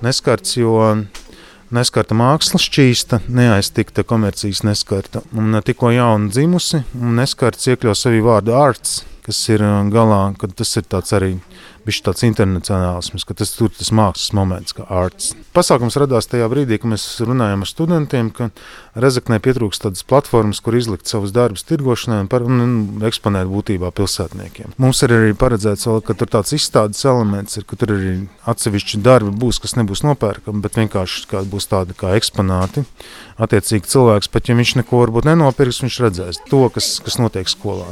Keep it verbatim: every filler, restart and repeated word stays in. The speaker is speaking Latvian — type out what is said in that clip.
neskarts, jo neskarta māksla šķīsta, neaiztikta komercijas neskarta. Un tikko jauna dzimusi, un neskarts iekļaus sevi vārdu arts, kas ir galā, kad tas ir tāds arī bišķi tāds internacionālisms, ka tas tur tas mākslas moments, kā arts. Pasākums radās tajā brīdī, kad mēs runājam ar studentiem, ka Rezeknē pietrūkst tādas platformas, kur izlikt savus darbus tirgošanai un, par, un eksponēt būtībā pilsētniekiem. Mums ir arī paredzēts vēl, ka tur tāds izstādes elements ir, ka tur arī atsevišķi darbi būs, kas nebūs nopērkami, bet vienkārši kā būs tādi kā eksponāti. Attiecīgi cilvēks, pat ja viņš neko varbūt nenopirks, viņš redzēs to, kas, kas notiek skolā.